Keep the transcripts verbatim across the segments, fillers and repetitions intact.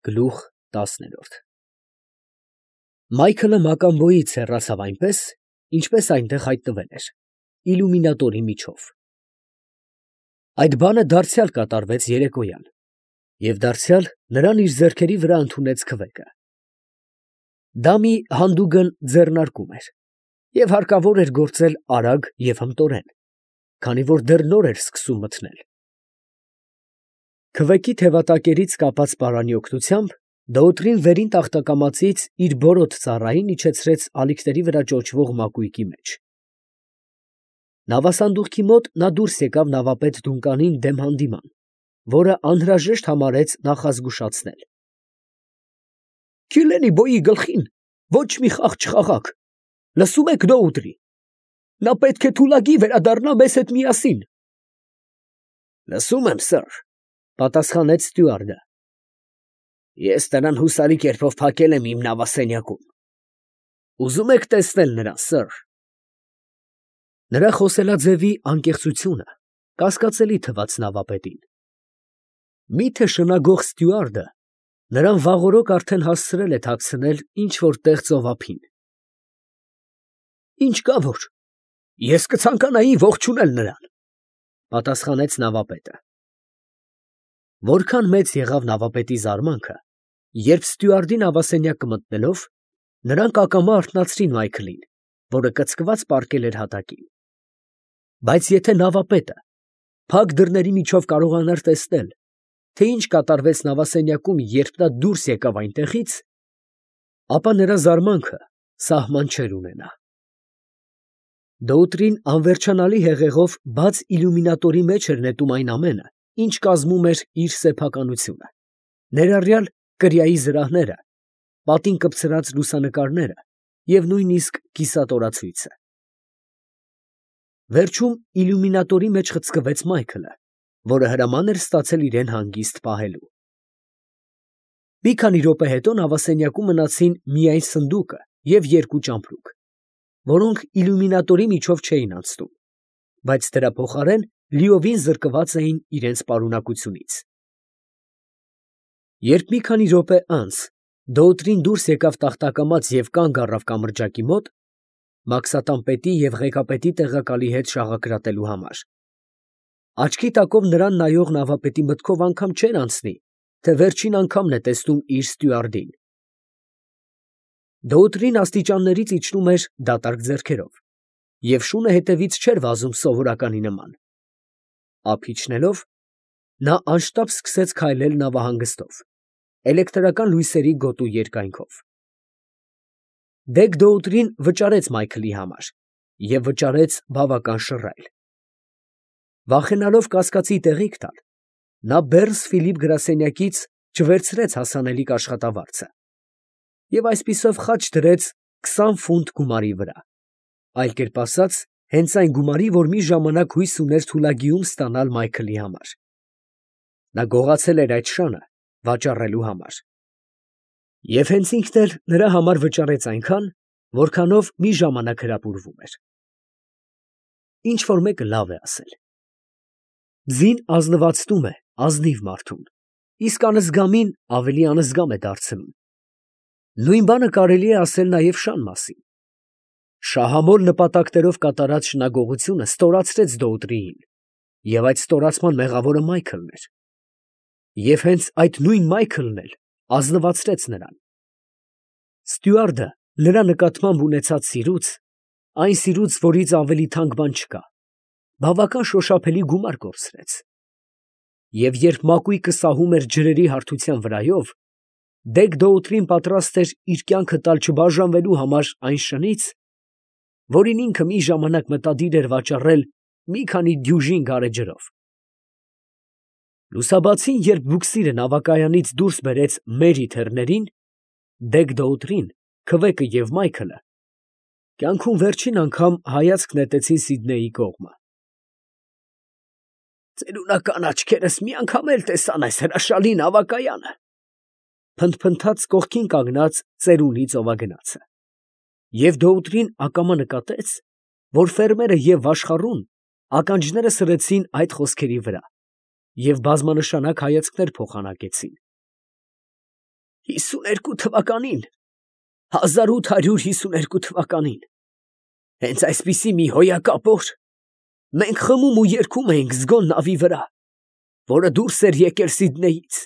Գլուխ տասներորդ Մայքլը Մակամբոյից հեռացավ այնպես, ինչպես այնտեղ հայտնվել էր, իլյումինատորի միջով։ Այդ բանը դարձյալ կատարվեց երեկոյան, և դարձյալ նրան իր ձեռքերի վրա ընդունեց քվեկը։ Դա մի հանդուգն ձեռնարկում էր, և հարկավոր էր գործել արագ և հմտորեն, քանի որ դեռ նոր էր սկսում մթնել։ Քվեկի թևատակերից կապած պարանի օգնությամբ Դոութրին վերին տախտակամածից իր բորոդ ծառային իջեցրեց ալիքների վրա ճոճվող մակույկի մեջ։ Նավասանդուղքի մոտ նա դուրս եկավ նավապետ Դունկանին դեմ հանդիման, որը անհրաժեշտ համարեց նախազգուշացնել։ Քիլենի֊բոյի գլխին ոչ մի խաղ չխաղաք, լսո՞ւմ եք, Դոութրի. նա պետք է թուլագի վերադառնա մեզ հետ միասին։ Լսում եմ, սըր, պատասխանեց ստյուարդը։ Ես նրան հուսալի կերպով փակել եմ իմ նավասենյակում։ Ուզում եք տեսնել նրան, սըր։ Նրա խոսելաձևի անկեղծությունը կասկածելի թվաց նավապետին։ Մի՞թե շնագող ստյուարդը նրան վաղօրոք արդեն հասցրել է թաքցնել ինչ֊որ տեղ ծովափին։ Ինչ կա որ, ես կցանկանայի ողջունել նրան, պատասխանեց նավապետը։ Որքան մեծ եղավ նավապետի զարմանքը, երբ ստյուարդի նավասենյակը մտնելով, նրանք ակամա արթնացրին Մայքլին, որը կծկված պառկել էր հատակին։ Բայց եթե նավապետը փակ դռների միջով կարողանար տեսնել, թե ինչ կատարվեց նավասենյակում, երբ նա դուրս եկավ այնտեղից, ապա նրա զարմանքը սահման չէր ունենա։ Դոութրին անվերջանալի հեղեղով բաց իլյումինատորի մեջ էր նետում այն ամենը, ինչ կազմում էր իր սեփականությունը, ներառյալ կրիայի զրահները, պատին կպցրած լուսանկարները և նույնիսկ կիսատորացույցը։ Վերջում իլյումինատորի մեջ խցկվեց Մայքլը, որը հրաման էր ստացել իրեն հանգիստ պահելու։ Մի քանի րոպե հետո նավասենյակում մնացին միայն սնդուկը և երկու ճամպրուկ, որոնք իլյումինատորի միջով չէին անցնում, բայց դրա փոխարեն լիովին զրկված էին իրենց պարունակությունից։ Երբ մի քանի րոպե անց Դոութրին դուրս եկավ տախտակամած և կանգ առավ կամրջակի մոտ, մաքսատան պետի և ղեկապետի տեղակալի հետ շաղակրատելու համար, աչքի տակով նրան նայող նավապետի մտքով անգամ չէր անցնի, թե վերջին անգամն է տեսնում իր ստյուարդին։ Դոութրին աստիճաններից իջնում էր դատարկ ձեռքերով, և շունը հետևից չէր վազում սովորականի նման։ Ափ իջնելով, նա անշտապ սկսեց քայլել նավահանգստով, էլեկտրական լույսերի գոտու երկայնքով։ Դեգ֊Դոութրին վճարեց Մայքլի համար և վճարեց բավական շռայլ։ Վախենալով կասկածի տեղիք տալ, նա Բեռնս֊Ֆիլիպ գրասենյակից չվերցրեց հասանելիք աշխատավարձը և այսպիսով խաչ դրեց քսան ֆունտ գումարի վրա, այլ կերպ ասած, հենց այն գումարի, որ մի ժամանակ հույս ուներ թուլագիում ստանալ Մայքլի համար։ Նա գողացել էր այդ շանը վաճառելու համար։ Եվ հենց ինքն էլ նրա համար վճարեց այնքան, որքանով մի ժամանակ հրապուրվում էր։ Ինչ֊որ մեկը լավ է ասել. ձին ազնվացնում է ազնիվ մարդուն, իսկ անզգամին ավելի անզգամ է դարձնում։ Նույն բանը կարելի է ասել նաև շան մասին։ Շահամոլ նպատակներով կատարած շնագողությունը ստորացրեց Դոութրիին, և այդ ստորացման մեղավորը Մայքլն էր։ Եվ հենց այդ նույն Մայքլն էլ ազնվացրեց նրան։ Ստյուարդը նրա նկատմամբ ունեցած սիրուց, այն սիրուց, որից ավելի թանկ բան չկա, բավական շոշափելի գումար կորցրեց։ Եվ երբ մակույկը սահում էր ջրերի հարթության վրայով, Դեգ֊Դոութրին պատրաստ էր իր կյանքը տալ չբաժանվելու համար այն շնից, որին ինքը մի ժամանակ մտադիր էր վաճառել մի քանի դյուժին գարեջրով։ Լուսաբացին երբ բուքսիրը նավակայանից դուրս բերեց Մերի թեռներին, Դեգ֊Դոութրին, քվեկը և Մայքլը կյանքում վերջին անգամ հայացք նետեցին Սիդնեյի կողմը։ «Ծերունական աչքերս մի անգամ էլ տեսան այս հրաշալի նավակայանը», փնթփնթաց կողքին կանգնած ծերունի ծովագնացը։ Եվ Դոութրին ակամա նկատեց, որ ֆերմերը և վաշխառուն ականջները սրեցին այդ խոսքերի վրա և բազմանշանակ հայացքներ փոխանակեցին։ հիսուներկու թվականին, հազար ութ հարյուր հիսուներկու թվականին, հենց այսպիսի մի հոյակապ օր, մենք խմում ու երգում էինք զգոն նավի վրա, որը դուրս էր եկել Սիդնեյից։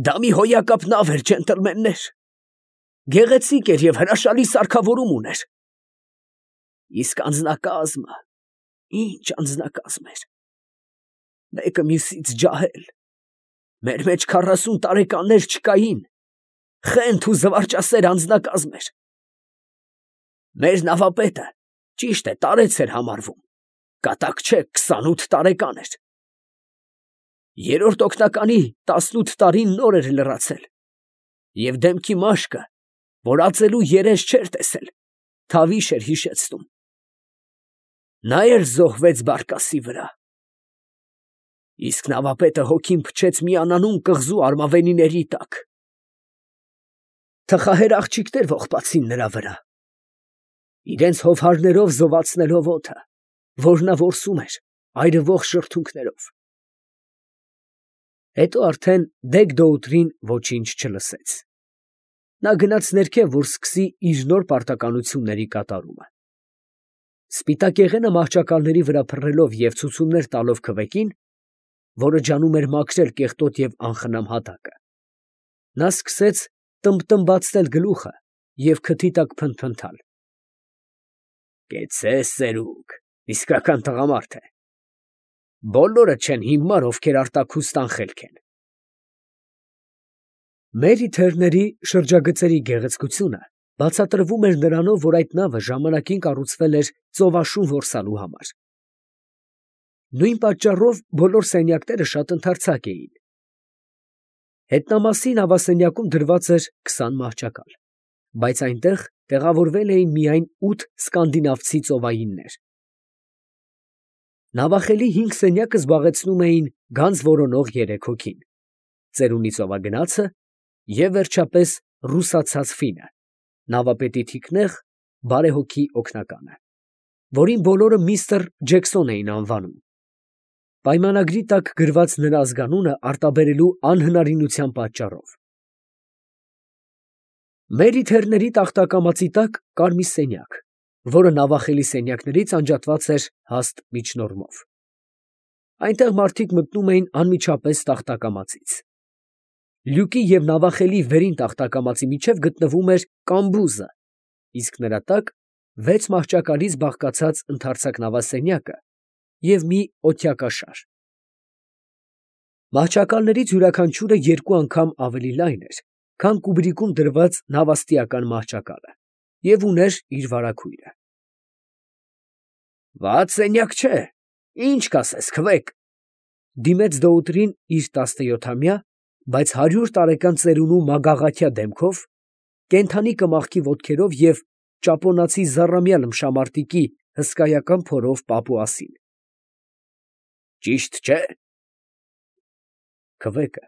Դա մի հոյակապ նավ էր, ջենտլմեններ, գեղեցիկ էր և հրաշալի սարքավորում ուներ։ Իսկ անձնակազմը, ինչ անձնակազմ էր, մեկը մյուսից ջահել, մեր մեջ քառասուն տարեկաններ չկային, խենթ ու զվարճասեր անձնակազմ էր։ Մեր նավապետը, ճիշտ է, տարեց էր համարվում, կատակ չէ, քսանութ տարեկան էր։ Երրորդ օգնականի տասնութ տարին նոր էր լրացել, և դեմքի մաշկը, որ ածելու երես չէր տեսել, թավիշ էր հիշեցնում։ Նա էլ զոհվեց բարկասի վրա։ Իսկ նավապետը հոգին փչեց մի անանուն կղզու արմավենիների տակ։ Թխահեր աղջիկներ ողբացին նրա վրա, իրենց հովհարներով զովացնելով օդը, որ նա որսում էր այրվող շրթունքներով։ Հետո արդեն Դեգ֊Դոութրին ոչինչ չլսեց։ Նա գնաց ներքև, որ սկսի իր նոր պարտականությունների կատարումը։ Սպիտակեղենը մահճակալների վրա փռելով և ցուցումներ տալով քվեկին, որը ջանում էր մաքրել կեղտոտ և անխնամ հատակը, նա սկսեց տմբտմբացնել գլուխը և քթի տակ փնթփնթալ։ «Կեցցե՛, ծերուկ, իսկական տղամարդ է։ Բոլորը չեն հիմար, ովքեր արտաքուստ անխելք են»։ Մերի Թերների շրջագծերի գեղեցկությունը բացատրվում էր նրանով, որ այդ նավը ժամանակին կառուցվել էր ծովաշուն որսալու համար։ Նույն պատճառով բոլոր սենյակները շատ ընդարձակ էին։ Հետնամասի նավասենյակում դրված էր քսան մահճակալ, բայց այնտեղ տեղավորվել էին միայն ութ սկանդինավցի ծովայիններ։ Նավախելի հինգ սենյակը զբաղեցնում էին գանձ որոնող երեք հոգին, ծերունի ծովագնացը և, վերջապես, ռուսացած ֆինը, նավապետի թիկնեղ, բարեհոգի օգնականը, որին բոլորը միստր Ջեքսոն էին անվանում, պայմանագրի տակ գրված նրա ազգանունը արտաբերելու անհնարինության պատճառով։ Մերի Թերների տախտակամածի տակ կար մի սենյակ, որը նավախելի սենյակներից անջատված էր հաստ միջնորմով։ Այնտեղ մարդիկ մտնում էին անմիջապես տախտակամածից։ Լյուկի և նավախելի վերին տախտակամածի միջև գտնվում էր կամբուզը, իսկ նրա տակ վեց մահճակալից բաղկացած ընդարձակ նավասենյակը և մի օդյակաշար։ Մահճակալներից յուրաքանչյուրը երկու անգամ ավելի լայն էր, քան կուբրիկում դրված նավաստիական մահճակալը, և ուներ իր վարագույրը։ «Վատ սենյակ չէ, ի՞նչ կասես, քվեք», ֊ դիմեց Դոութրին իր տասնյոթամյա, բայց հարյուր տարեկան ծերունու մագաղաթյա դեմքով, կենդանի կմախքի ոտքերով և ճապոնացի զառամյա լմշամարտիկի հսկայական փորով պապուասին։ «Ճիշտ չէ՞»։ Քվեկը,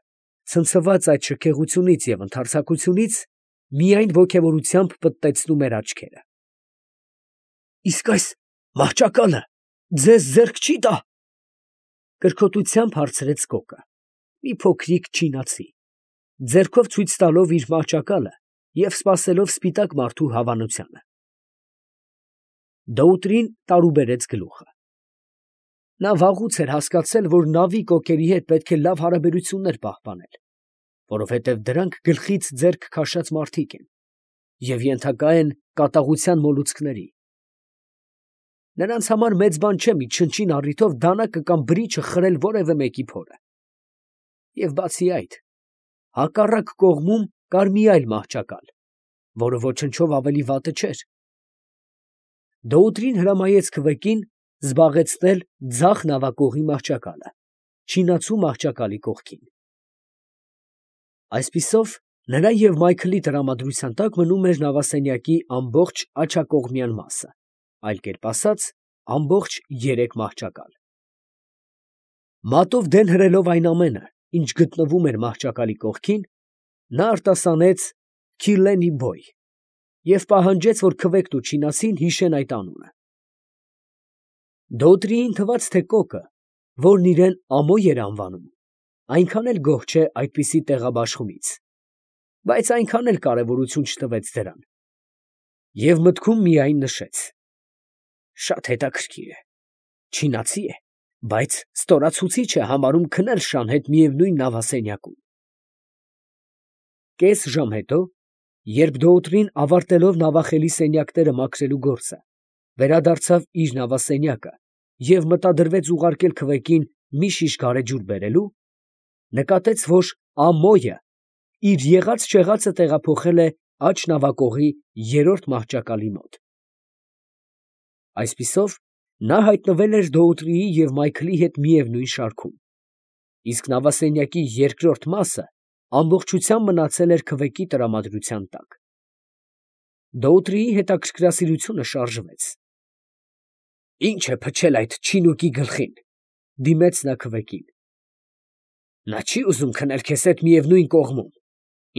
ցնցված այդ շքեղությունից և ընդարձակությունից, միայն ոգևորությամբ պտտեցնում էր աչքերը։ ֊ Իսկ այս մահճակալը ձեզ ձեռք չի տա, ֊ կրքոտությամբ հարցրեց կոկը, մի փոքրիկ չինացի, ձեռքով ցույց տալով իր մահճակալը և սպասելով սպիտակ մարդու հավանությանը։ Դոութրին տարուբերեց գլուխը։ Նա վաղուց էր հասկացել, որ նավի կոկերի հետ պետք է լավ հարաբերություններ պահպանել, որովհետև դրանք գլխից ձեռք քաշած մարդիկ են և ենթակա են կատաղության մոլուցքների։ Նրանց համար մեծ բան չէ մի չնչին առիթով դանակը կամ բրիչը խրել որևէ մեկի փորը։ Եվ բացի այդ, հակառակ կողմում կար մի այլ մահճակալ, որը ոչնչով ավելի վատը չէր։ Դոութրին հրամայեց քվեկին զբաղեցնել ձախ նավակողի մահճակալը, չինացու մահճակալի կողքին։ Այսպիսով, նրա և Մայքլի տրամադրության տակ մնում էր նավասենյակի ամբողջ աջակողմյան մասը, այլ կերպ ասած, ամբողջ երեք մահճակալ։ Մատով դեն հրելով այն ամենը, ինչ գտնվում էր մահճակալի կողքին, նա արտասանեց «Քիլլենի բոյ» և պահանջեց, որ քվեկն ու չինացին հիշեն այդ անունը։ Դոութրիին թվաց, թե կոկը, որն իրան Ամոյ էր անվանում, այնքան էլ գոհ չէ այդպիսի տեղաբաշխումից բայց այնքան էլ կարևորություն չտվեց դրան, և մտքում միայն նշեց. շատ հետաքրքիր է, չինացի է, բայց ստորացուցիչ է համարում քնել շան հետ միևնույն նավասենյակում։ Կես ժամ հետո, երբ դոուտրին ավարտելով նավախելի սենյակները մաքրելու գործը, վերադարձավ իր նավասենյակը և մտադրվեց ուղարկել քվեկին մի շիշ գարեջուր բերելու, նկատեց, որ Ամոյը իր եղած֊չեղածը տեղափոխել է աջ նավակողի երրորդ մահճակալի մոտ։ Այսպիսով, նա հայտնվել էր Դոուտրիի և Մայքլի հետ միևնույն շարքում, իսկ նավասենյակի երկրորդ մասը ամբողջությամբ մնացել էր քվեկի տրամադրության տակ։ Դոուտրիի հետաքրքրասիրությունը շարժվեց։ ֊ Ի՞նչ է փչել այդ չինուկի գլխին, ֊ դիմեց նա քվեկին։ ֊ Նա չի ուզում քնել քեզ հետ միևնույն կողմում,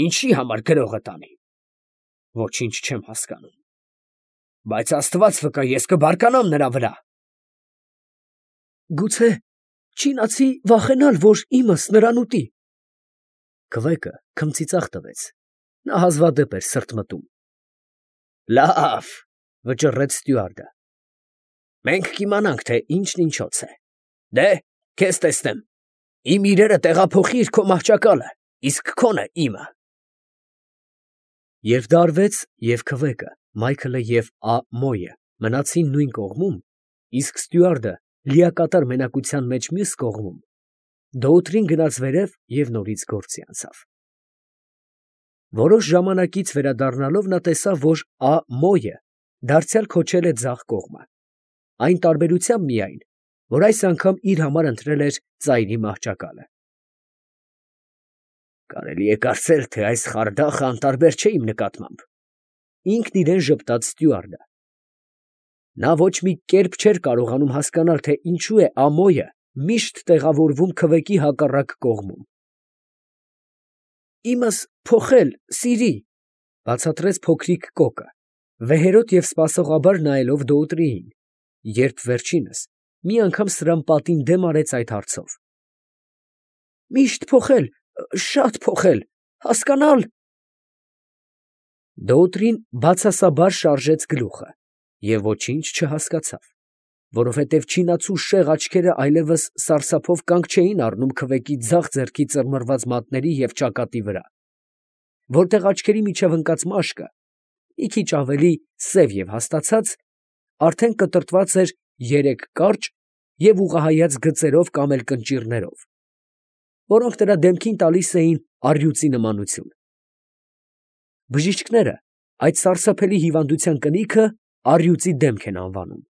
ինչի՞ համար գրողը տանի։ ֊ Ոչինչ չեմ հասկանում։ ֊ Բայց աստված վկա, ես կբարկանամ նրա վրա։ ֊ Գուցե չինացի վախենալ, որ իմս նրան ուտի։ Քվեկը քմծիծաղ տվեց. նա հազվադեպ էր սրտմտում։ ֊ Լավ, ֊ վճռեց ստյուարդը, ֊ մենք կիմանանք, թե ինչն ինչոց է. դե՛, քեզ տեսնեմ, իմ իրերը տեղափոխիր քո մահճակալը, իսկ քոնը՝ իմը։ Երբ դա արվեց, և քվեկը, Մայքլը և Ա֊Մոյը մնացին նույն կողմում, իսկ ստյուարդը լիակատար մենակության մեջ մյուս կողմում, Դոուտրին գնաց վերև և նորից գործի անցավ։ Որոշ ժամանակից վերադառնալով նա տեսավ, որ Ա֊Մոյը դարձյալ քոչել է ձախ կողմը, այն տարբերությամբ միայն, որ այս անգամ իր համար ընտրել էր ծայրի մահճակալը։ «Կարելի է կարծել, թե այս խարդախը անտարբեր չէ իմ նկատմամբ, ֊ ինքն իրան ժպտաց ստյուարդը։ Նա ոչ մի կերպ չէր կարողանում հասկանալ, թե ինչու է Ամոյը միշտ տեղավորվում քվեկի հակառակ կողմում։ ֊ Իմս փոխել, սիրի, ֊ բացատրեց փոքրիկ կոկը, վեհերոտ և սպասողաբար նայելով Դոուտրիին, երբ վերջինս մի անգամ սրան պատին դեմ արեց այդ հարցով։ ֊ Միշտ փոխել, շատ փոխել, հասկանալ… Դոուտրին բացասաբար շարժեց գլուխը և ոչինչ չհասկացավ, որովհետև չինացու շեղ աչքերը այլևս սարսափով կանգ չէին առնում քվեկի ձախ ձեռքի ծռմռված մատների և ճակատի վրա, որտեղ աչքերի միջև ընկած մաշկը, մի քիչ ավելի սև և հաստացած, արդեն կտրտված էր երեք կարճ և ուղղահայաց գծերով կամ էլ կնճիռներով, որոնք նրա դեմքին տալիս էին առյուծի նմանություն։ Բժիշկները այդ սարսափելի հիվանդության կնիքը առյուծի դեմք են անվանում։